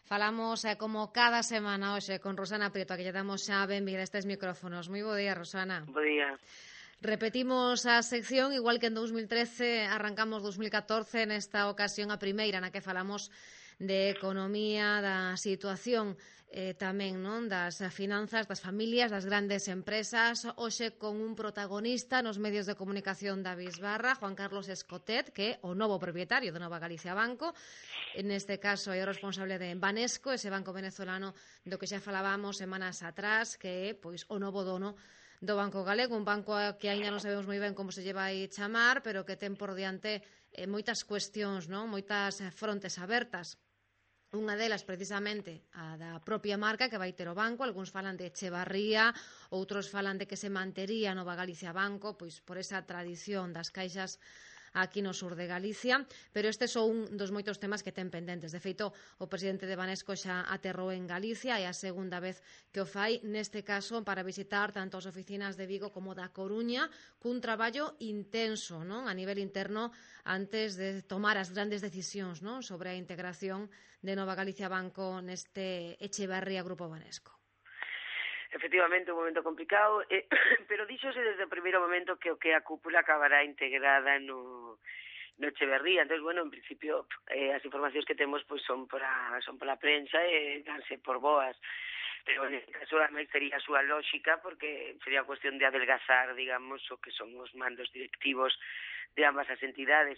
Falamos como cada semana hoxe con Rosana Prieto, a que lle damos xa benvida a estes micrófonos. Moi bo día, Rosana. Bo día. Repetimos a sección, igual que en 2013, arrancamos 2014, nesta ocasión a primeira na que falamos de economía, da situación tamén non das finanzas, das familias, das grandes empresas. Hoxe con un protagonista nos medios de comunicación da Bisbarra, Juan Carlos Escotet, que é o novo propietario de Nova Galicia Banco. Neste caso é o responsable de Banesco, ese banco venezolano do que xa falábamos semanas atrás, que é pois o novo dono do Banco Galego, un banco que aínda non sabemos moi ben como se lle vai chamar, pero que ten por diante moitas cuestións, non? Moitas frontes abertas. Unha delas, precisamente, a da propia marca que vai ter o banco. Algúns falan de Echevarría, outros falan de que se mantería Nova Galicia Banco, pois por esa tradición das caixas aquí no sur de Galicia, pero este é só un dos moitos temas que ten pendentes. De feito, o presidente de Banesco xa aterrou en Galicia, é a segunda vez que o fai, neste caso para visitar tanto as oficinas de Vigo como da Coruña, cun traballo intenso, non, a nivel interno, antes de tomar as grandes decisións, non, sobre a integración de Nova Galicia Banco neste Echevarría Grupo Banesco. Efectivamente, un momento complicado, pero díxose desde o primeiro momento que o que a cúpula acabará integrada no Echeverría. Entón, bueno, en principio, as informacións que temos pois son pola prensa e danse por boas. Pero en este caso, ademais, sería a súa lógica, porque sería cuestión de adelgazar, digamos, o que son os mandos directivos de ambas as entidades.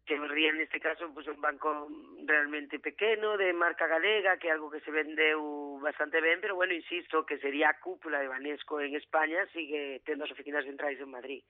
Echeverría, neste caso, pues, un banco realmente pequeno, de marca galega, que é algo que se vendeu bastante ben, pero, bueno, insisto, que sería a cúpula de Banesco en España, sigue tendo as oficinas centrais en Madrid.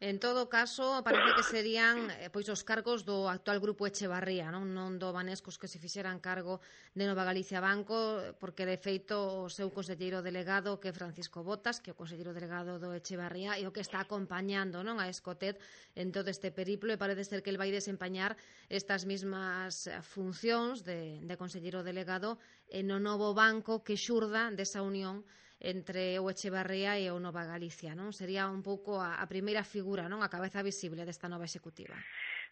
En todo caso, parece que serían pois os cargos do actual Grupo Echevarría, non do Banescos que se fixeran cargo de Nova Galicia Banco, porque de feito o seu conselleiro delegado, que é Francisco Botas, que é o conselleiro delegado do Echevarría, e o que está acompañando, non, a Escotet en todo este periplo, e parece ser que el vai desempeñar estas mismas funcións de conselleiro delegado no novo banco que xurda desa unión entre o Echevarría e o Nova Galicia, non? Sería un pouco a primeira figura, non? A cabeza visible desta nova executiva.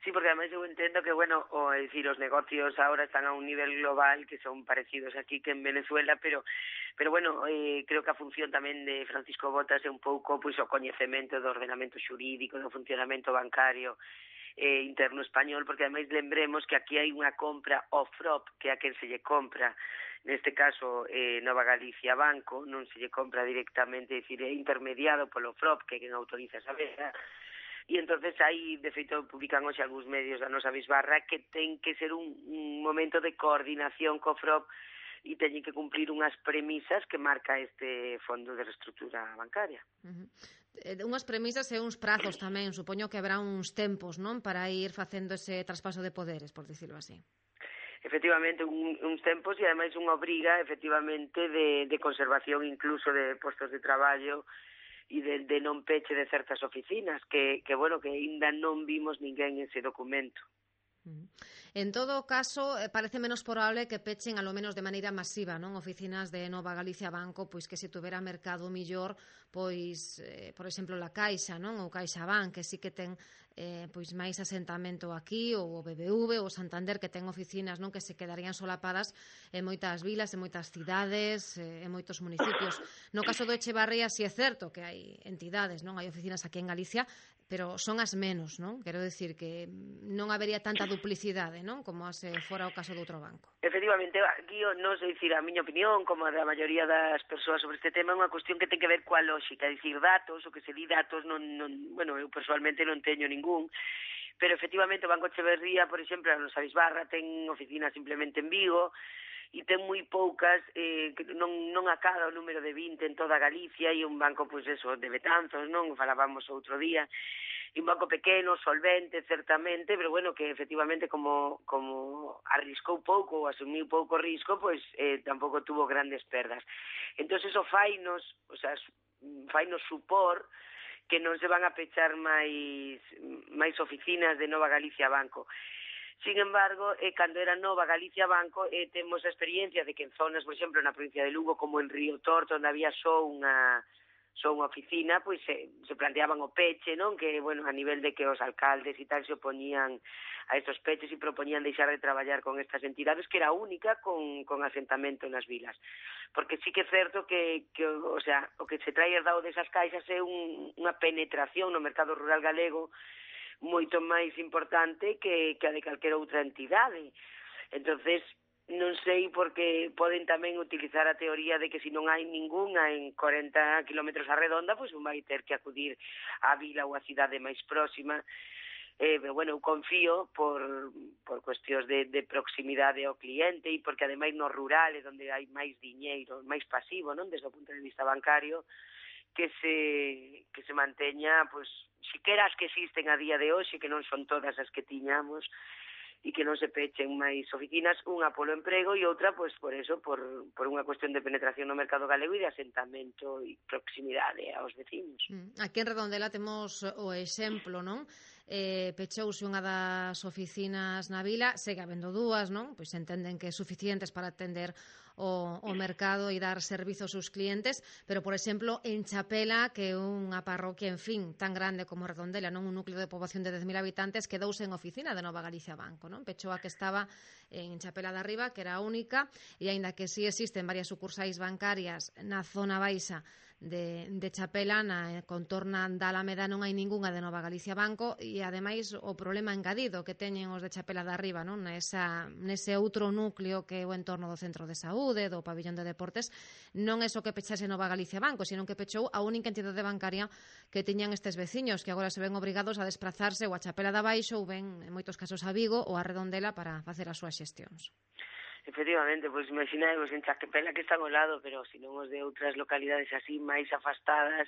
Sí, porque además eu entendo que, bueno, os negocios ahora están a un nivel global que son parecidos aquí que en Venezuela, pero bueno, creo que a función tamén de Francisco Botas é un pouco pois o coñecemento do ordenamento xurídico, do funcionamento bancario interno español, porque ademais lembremos que aquí hai unha compra off-FROP, que é a quen se lle compra, neste caso Nova Galicia Banco, non se lle compra directamente, é dicir, é intermediado polo FROP, que é quen autoriza esa venda, e entonces aí, de feito, publican hoxe algúns medios da nosa Bisbarra que ten que ser un momento de coordinación co FROP e teñen que cumplir unhas premisas que marca este fondo de reestructura bancaria. Unhas premisas e uns prazos tamén, supoño que habrá uns tempos, non, para ir facendo ese traspaso de poderes, por dicirlo así. Efectivamente, uns tempos e ademais unha obriga, efectivamente, de conservación incluso de postos de traballo e de non peche de certas oficinas, que bueno, que aínda non vimos ninguén ese documento. En todo caso, parece menos probable que pechen alo menos de maneira masiva, non, oficinas de Nova Galicia Banco, pois que se tuvera mercado millor, pois, por exemplo, la Caixa, non, ou CaixaBank, que sí que ten pois máis asentamento aquí, ou o BBV, ou Santander, que ten oficinas, non, que se quedarían solapadas en moitas vilas, en moitas cidades, en moitos municipios. No caso do Echevarría, si é certo que hai entidades, non, hai oficinas aquí en Galicia, pero son as menos, non? Quero dicir que non habería tanta duplicidade, non? Como se fora o caso de outro banco. Efectivamente, aquí non sei dicir a miña opinión, como a da maioría das persoas sobre este tema, é unha cuestión que ten que ver coa lógica, é dicir, datos, o que se di datos, bueno, eu personalmente non teño ningún, pero efectivamente o Banco Echeverría, por exemplo, a nosa Bisbarra ten oficinas simplemente en Vigo, e ten moi poucas, non acada o número de 20 en toda Galicia, e un banco, pois eso, de Betanzos, non? Falábamos outro día, e un banco pequeno, solvente, certamente, pero bueno, que efectivamente como arriscou pouco ou asumiu pouco risco, pois tampouco tuvo grandes perdas. Entón, eso fainos supor que non se van a pechar máis oficinas de Nova Galicia Banco. Sin embargo, cando era Nova Galicia Banco, temos a experiencia de que en zonas, por exemplo, na provincia de Lugo, como en Río Torto, onde había só unha só unha oficina, pois se planteaban o peche, non? Que, bueno, a nivel de que os alcaldes e tal se opoñían a estos peches e propoñían deixar de traballar con estas entidades, que era única con asentamento nas vilas. Porque sí que é certo que o sea, o que se trae dado desas caixas é unha penetración no mercado rural galego moito máis importante que a de calquera outra entidade. Entonces, non sei porque poden tamén utilizar a teoría de que se non hai ningunha en 40 kilómetros a redonda, pois vai ter que acudir á vila ou á cidade máis próxima. Pero, bueno, eu confío por cuestións de proximidade ao cliente e porque, ademais, no rural é onde hai máis diñeiro, máis pasivo, non, desde o punto de vista bancario, que se manteña, pois, siquera as que existen a día de hoxe, que non son todas as que tiñamos, e que non se pechen máis oficinas, unha polo emprego e outra, pois, por eso, por unha cuestión de penetración no mercado galego e de asentamento e proximidade aos vecinos. Aquí en Redondela temos o exemplo, non? Pechouse unha das oficinas na vila, segue habendo dúas, non? Pois entenden que é suficientes para atender o mercado e dar servizo aos seus clientes, pero, por exemplo, en Chapela, que é unha parroquia, en fin, tan grande como Redondela, non, un núcleo de poboación de 10.000 habitantes, quedouse en oficina de Nova Galicia Banco, non? Pechou a que estaba en Chapela de Arriba, que era a única, e aínda que sí existen varias sucursais bancarias na zona baixa de Chapela, na contorna da Alameda non hai ningunha de Nova Galicia Banco, e ademais o problema engadido que teñen os de Chapela de Arriba, non, nese outro núcleo que é o entorno do centro de saúde, do pabillón de deportes, non é só que pechase Nova Galicia Banco, sino que pechou a única entidade bancaria que tiñan estes veciños, que agora se ven obrigados a desplazarse ou a Chapela de Abaixo ou ben, en moitos casos, a Vigo ou a Redondela para facer as súas xestións. Efectivamente, pois imaginemos en Chapela que están ao lado, pero se non os de outras localidades así máis afastadas,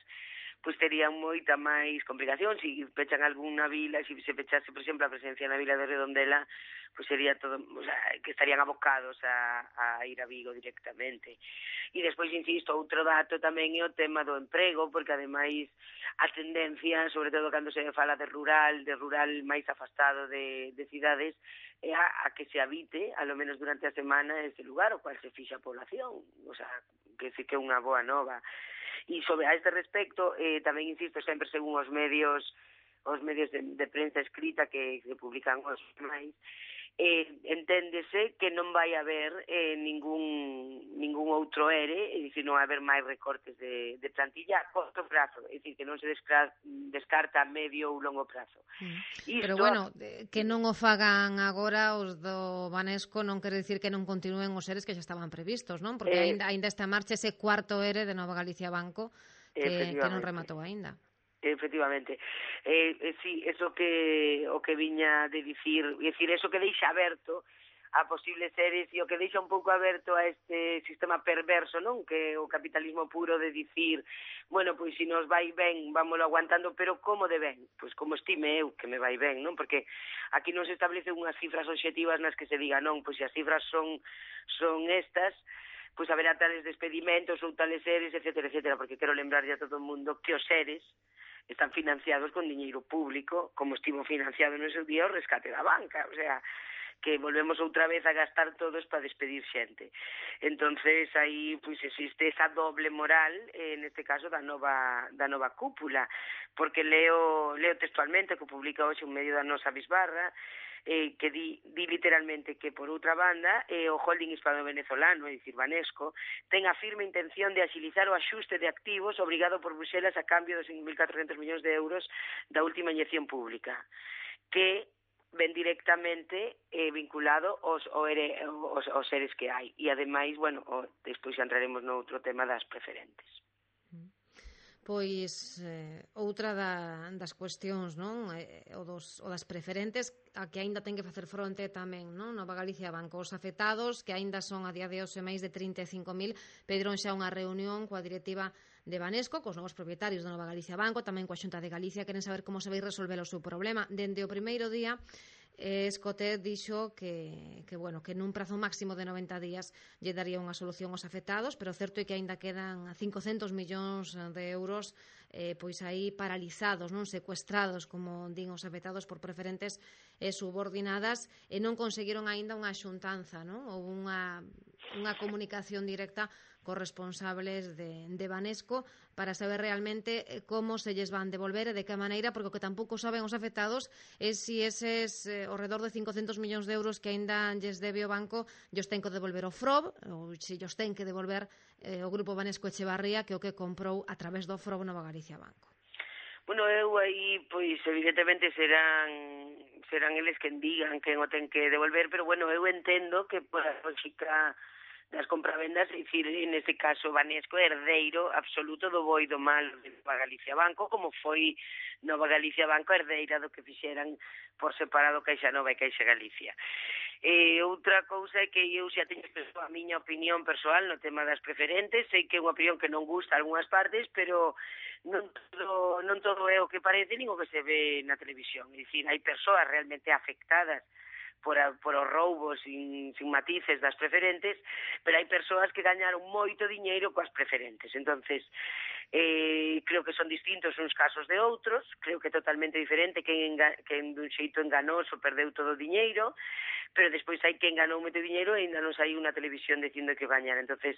pois terían moita máis complicación. Se pechan algunha vila, se pechase, por exemplo, a presencia na vila de Redondela, pois sería todo, o sea, que estarían abocados a ir a Vigo directamente. E despois, insisto, outro dato tamén é o tema do emprego, porque ademais a tendencia, sobre todo cando se fala de rural máis afastado de cidades, é a que se habite, alo menos durante a semana, ese lugar, o cual se fixa a población, o sea, que sí que é unha boa nova. E sobre a este respecto, tamén insisto sempre según os medios de prensa escrita que publican os máis, enténdese que non vai haber ningún outro ERE, é dicir, non vai haber máis recortes de plantilla a corto prazo, é dicir, que non se descarta a medio ou longo prazo. Pero, bueno, que non o fagan agora os do Banesco non quere dicir que non continúen os EREs que xa estaban previstos, non? Porque ainda está en marcha ese cuarto ERE de Nova Galicia Banco que non rematou aínda. Efectivamente. Sí, eso que o que viña de dicir, é dicir, eso que deixa aberto a posibles seres e o que deixa un pouco aberto a este sistema perverso, non? Que o capitalismo puro de dicir, bueno, pois se nos vai ben, vámoslo aguantando, pero como de ben? Pois como estime eu que me vai ben, non? Porque aquí non se establecen unhas cifras obxectivas nas que se diga, non, pois se as cifras son estas, pois haberá tales despedimentos ou tales seres, etcétera, etcétera, porque quero lembrarlle a todo o mundo que os seres están financiados con diñeiro público, como estivo financiado no seu día o rescate da banca, o sea, que volvemos outra vez a gastar todos para despedir xente. Entonces aí pois existe esa doble moral, neste caso da nova cúpula, porque leo textualmente que publica hoxe un medio da nosa bisbarra, que di literalmente que, por outra banda, o holding hispano-venezolano, é dicir, Banesco, ten a firme intención de axilizar o axuste de activos obrigado por Bruxelas a cambio dos 5.400 millóns de euros da última inyección pública, que ven directamente vinculado aos seres que hai. E, ademais, bueno, despois xa entraremos no outro tema das preferentes. Pois outra das cuestións, non? O das preferentes, a que aínda ten que facer fronte tamén, non? Nova Galicia Banco, os afectados, que aínda son a día de hoxe máis de 35.000, pediron xa unha reunión coa directiva de Banesco, cos novos propietarios de Nova Galicia Banco, tamén coa Xunta de Galicia, queren saber como se vai resolver o seu problema. Dende o primeiro día, Escotet dixo que nun prazo máximo de 90 días lle daría unha solución aos afectados, pero o certo é que aínda quedan 500 millóns de euros pois aí paralizados, non secuestrados, como din os afectados por preferentes, subordinadas e non conseguiron aínda unha xuntanza, non? Ou unha comunicación directa cos responsables de Banesco para saber realmente como se lles van devolver e de que maneira, porque o que tampouco saben os afectados é se eses ao redor de 500 millóns de euros que aínda lles debe o banco lles ten que devolver o FROB ou se lles ten que devolver o Grupo Banesco Echevarría, que é o que comprou a través do FROB Nova Galicia Banco. Bueno, eu aí, pois, evidentemente serán eles quen digan quen o ten que devolver, pero bueno, eu entendo que por a lógica das compravendas, é dicir, neste caso Banesco é herdeiro absoluto do bo e do mal de Nova Galicia Banco, como foi Nova Galicia Banco herdeira do que fixeran por separado Caixa Nova e Caixa Galicia. Outra cousa é que eu xa teño a miña opinión persoal no tema das preferentes, sei que é unha opinión que non gusta a algunhas partes, pero non todo é o que parece nin o que se ve na televisión. É dicir, hai persoas realmente afectadas por os roubos sin matices das preferentes, pero hai persoas que gañaron moito diñeiro coas preferentes. Entonces, creo que son distintos uns casos de outros, creo que é totalmente diferente quen dun xeito enganoso perdeu todo o diñeiro, pero despois hai quen ganou moito diñeiro e ainda non saiu na televisión dicindo que gañara. Entonces,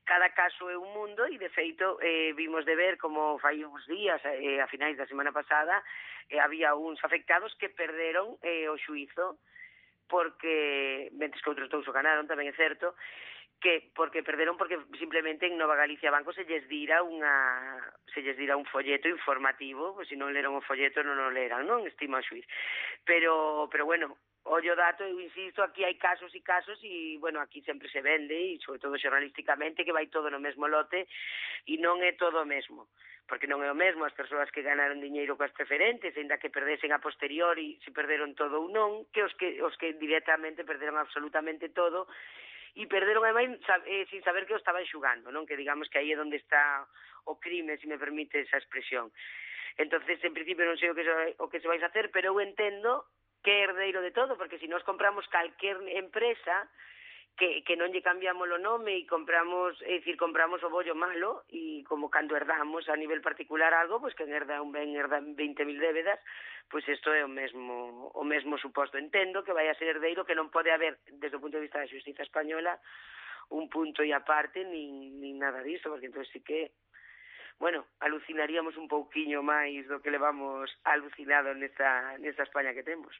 cada caso é un mundo e, de feito, vimos de ver como fai uns días, a finais da semana pasada, había uns afectados que perderon o xuízo porque, mentes que outros dous o ganaron, tamén é certo, que porque perderon porque simplemente en Nova Galicia Banco se lles dira un folleto informativo, pois se non leron o folleto non o leran, non? Estima o xuiz. Pero bueno, ollo dato, eu insisto, aquí hai casos e casos e, bueno, aquí sempre se vende e, sobre todo xornalísticamente, que vai todo no mesmo lote e non é todo o mesmo, porque non é o mesmo as persoas que ganaron diñeiro coas preferentes, ainda que perdesen a posteriori se perderon todo ou non, que os que directamente perderon absolutamente todo e perderon ademais sin saber que o estaban xugando, non? Que digamos que aí é onde está o crime, se me permite esa expresión. Entonces, en principio non sei o que se vais a hacer, pero eu entendo que é herdeiro de todo, porque se nos compramos calquer empresa que non lle cambiamos o nome e compramos o bollo malo, e como cando herdamos a nivel particular algo, pois que herda un ben herda 20.000 débedas, pois isto é o mesmo suposto. Entendo que vai a ser herdeiro, que non pode haber, desde o punto de vista da xustiza española, un punto e aparte, nin nada disso, porque entón sí que bueno, alucinaríamos un pouquiño máis do que levamos alucinado nesta España que temos.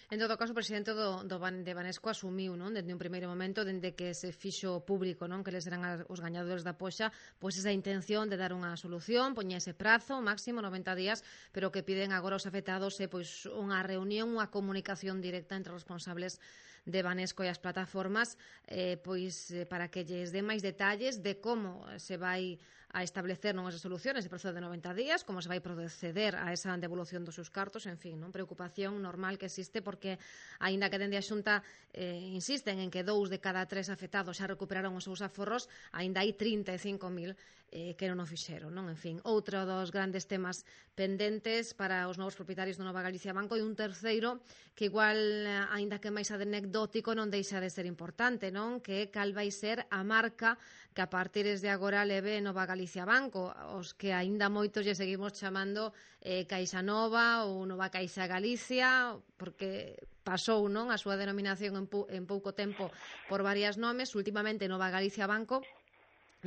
En todo caso, o presidente de Banesco asumiu, non, dende un primeiro momento, dende que se fixo público, non, que eles eran os gañadores da poxa, pois esa intención de dar unha solución, poña ese prazo, máximo 90 días, pero que piden agora os afectados pois unha reunión, unha comunicación directa entre os responsables de Banesco e as plataformas, para que lles dé máis detalles de como se vai a establecer non esas soluciones de prazo de 90 días, como se vai proceder a esa devolución dos seus cartos, en fin, non, preocupación normal que existe, porque aínda que dende a Xunta insisten en que 2 de cada 3 afectados xa recuperaron os seus aforros, aínda hai 35.000 que non o fixeron, non? En fin, outro dos grandes temas pendentes para os novos propietarios do Nova Galicia Banco, e un terceiro que igual, aínda que máis anecdótico, non deixa de ser importante, non? Que é cal vai ser a marca que a partir de agora leve Nova Galicia Banco, os que aínda moitos lle seguimos chamando Caixa Nova ou Nova Caixa Galicia, porque pasou, non, a súa denominación en pouco tempo por varios nomes, últimamente Nova Galicia Banco,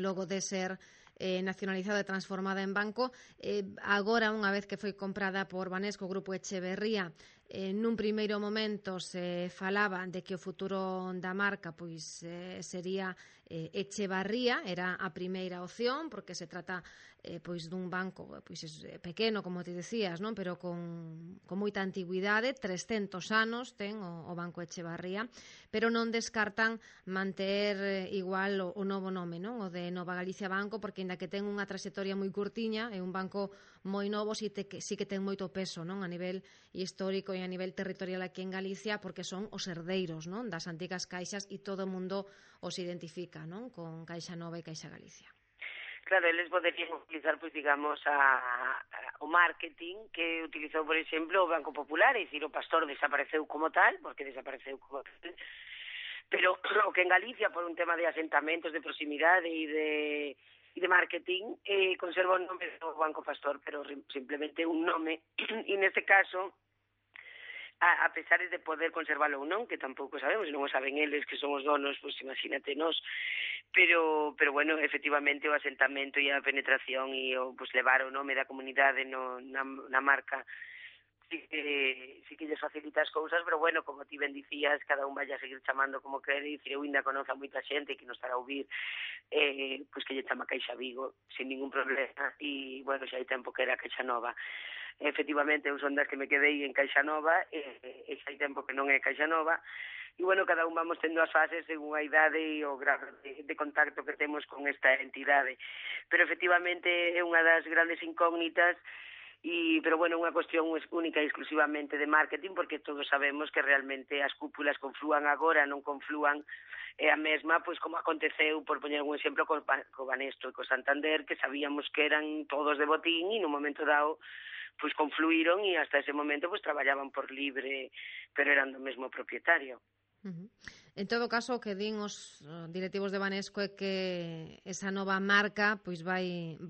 logo de ser nacionalizada e transformada en banco, agora, unha vez que foi comprada por Banesco Grupo Echeverría, nun primeiro momento se falaba de que o futuro da marca pois sería Echevarría, era a primeira opción, porque se trata pois dun banco pois pequeno, como te decías, non, pero con moita antigüidade, 300 anos ten o Banco Echevarría, pero non descartan manter igual o novo nome, non, o de Nova Galicia Banco, porque ainda que ten unha traxectoria moi curtiña, é un banco moi novo, sí que ten moito peso, non, a nivel histórico e a nivel territorial aquí en Galicia, porque son os herdeiros, non, das antigas caixas, e todo o mundo os identifica, non, con Caixa Nova e Caixa Galicia. Claro, eles poderían utilizar, pois, digamos, o marketing que utilizou, por exemplo, o Banco Popular, é dicir, o Pastor desapareceu como tal, porque desapareceu como tal, pero o que en Galicia, por un tema de asentamentos, de proximidade e de marketing, conserva o nome do Banco Pastor, pero simplemente un nome, e neste caso a pesar de poder conservalo ou non, que tampouco sabemos, non o saben eles que son os donos, pois imagínate nós, pero bueno, efectivamente o asentamento e a penetración e o pois levar o nome da comunidade na marca sí que lles facilita as cousas, pero bueno, como ti ben dicías, cada un vai a seguir chamando como quere, e dicir, eu ainda conozo a moita xente que nos estará a ouvir, pois que lle chama Caixa Vigo, sin ningún problema, e bueno, xa hai tempo que era Caixa Nova. Efectivamente, eu son das que me quedei en Caixa Nova, e xa hai tempo que non é Caixa Nova, e bueno, cada un vamos tendo as fases según a idade e o grado de contacto que temos con esta entidade. Pero efectivamente é unha das grandes incógnitas, pero bueno, unha cuestión única e exclusivamente de marketing, porque todos sabemos que realmente as cúpulas conflúan agora, non conflúan a mesma, pois como aconteceu, por poñer un exemplo, co Banesto e co Santander, que sabíamos que eran todos de botín e no momento dado pois confluíron e hasta ese momento pois traballaban por libre, pero eran do mesmo propietario. En todo caso, o que din os directivos de Banesco é que esa nova marca pois vai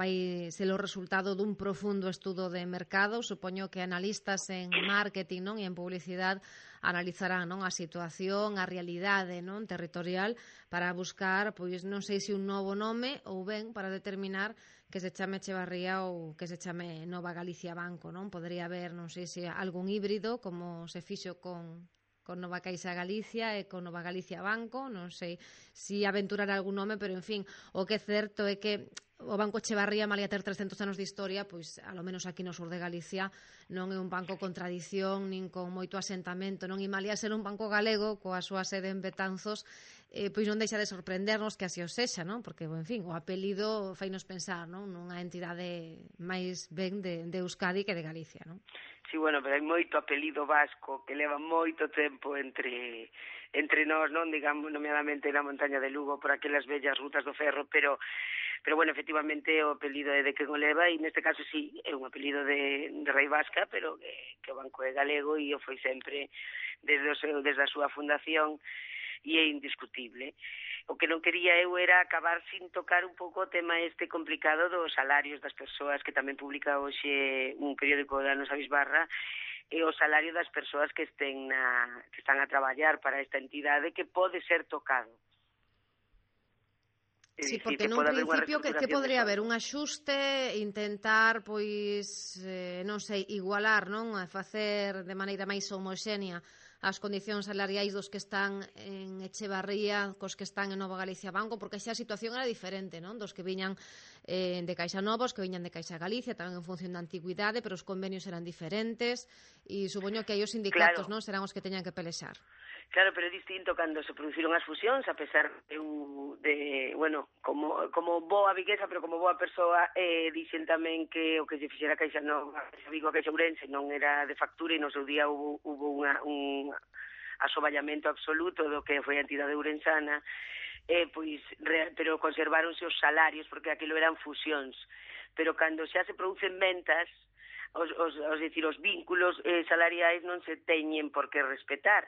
ser o resultado dun profundo estudo de mercado. Supoño que analistas en marketing, non, e en publicidade analizarán, non, a situación, a realidade, non, territorial para buscar, pois non sei se un novo nome ou ben para determinar que se chame Echevarría ou que se chame Nova Galicia Banco, non? Podría haber, non sei se algún híbrido como se fixo con Nova Caixa Galicia e con Nova Galicia Banco, non sei se aventurar algún nome, pero en fin, o que é certo é que o Banco Echevarría, malia ter 300 anos de historia, pois, alo menos aquí no sur de Galicia, non é un banco con tradición, nin con moito asentamento, non, e malia ser un banco galego, coa súa sede en Betanzos, pois non deixa de sorprendernos que así o sexa, non? Porque, en fin, o apelido fainos pensar, non, nunha entidade máis ben de Euskadi que de Galicia, non? Sí, bueno, pero hai moito apelido vasco que leva moito tempo entre nós, non, digamos, nomeadamente na montaña de Lugo, por aquelas vellas rutas do ferro, pero bueno, efectivamente o apelido é de quen o leva, e neste caso sí, é un apelido de rei vasca, pero que o banco é galego e o foi sempre desde a súa fundación, e é indiscutible. O que non quería eu era acabar sin tocar un pouco o tema este complicado dos salarios das persoas, que tamén publica hoxe un periódico da nosa Bisbarra, e o salario das persoas que están a traballar para esta entidade, que pode ser tocado. Sí, porque nun principio que podría haber un axuste, intentar, pois, non sei, igualar, non, a facer de maneira máis homoxénea as condicións salariais dos que están en Echevarría cos que están en Nova Galicia Banco, porque xa a situación era diferente, non? Dos que viñan de Caixa Nova, os que viñan de Caixa Galicia, tamén en función da antigüidade, pero os convenios eran diferentes, e supoño que aí os sindicatos, claro, non, serán os que teñan que pelexar. Claro, pero é distinto cando se produciron as fusións, a pesar bueno, como boa viguesa, pero como boa persoa, dixen tamén que o que se fixera Caixa Nova, Caixa Vigo, Caixa Ourense non era de factura, e no seu día hubo un asoballamento absoluto do que foi a entidade ourensana, pero conserváronse os salarios, porque aquilo eran fusións. Pero cando xa se producen ventas, os vínculos salariais non se teñen por que respetar.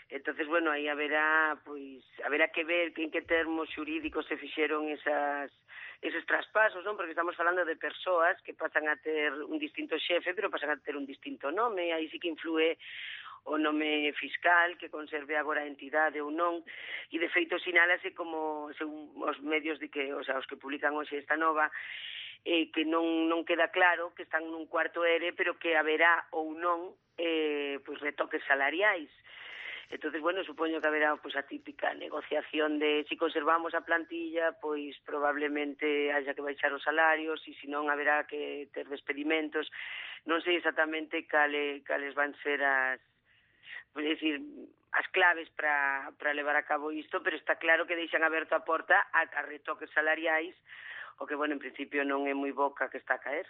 Entonces, bueno, aí haberá que ver en que termos xurídicos se fixeron eses traspasos, non? Porque estamos falando de persoas que pasan a ter un distinto xefe, pero pasan a ter un distinto nome, aí sí que influe o nome fiscal, que conserve agora a entidade ou non, e de feito sinálase como, según os medios os que publican hoxe esta nova, que non queda claro que están nun cuarto ERE, pero que haberá ou non retoques salariais. Entonces, bueno, supoño que haberá a típica negociación de si conservamos a plantilla, pois probablemente haya que baixar os salarios, e se non haberá que ter despedimentos. Non sei exactamente cales van ser as claves para levar a cabo isto, pero está claro que deixan aberto a porta a retoques salariais, o que, bueno, en principio non é moi boca que está a caer.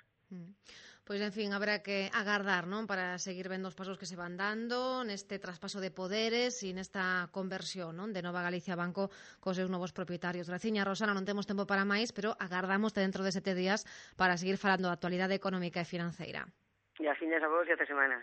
Pois, en fin, habrá que agardar, non, para seguir vendo os pasos que se van dando neste traspaso de poderes e nesta conversión, non, de Nova Galicia Banco cos seus novos propietarios. Graciña, Rosana, non temos tempo para máis, pero agardamos dentro de 7 días para seguir falando da actualidade económica e financeira. E a fiñas a vos e ata semana.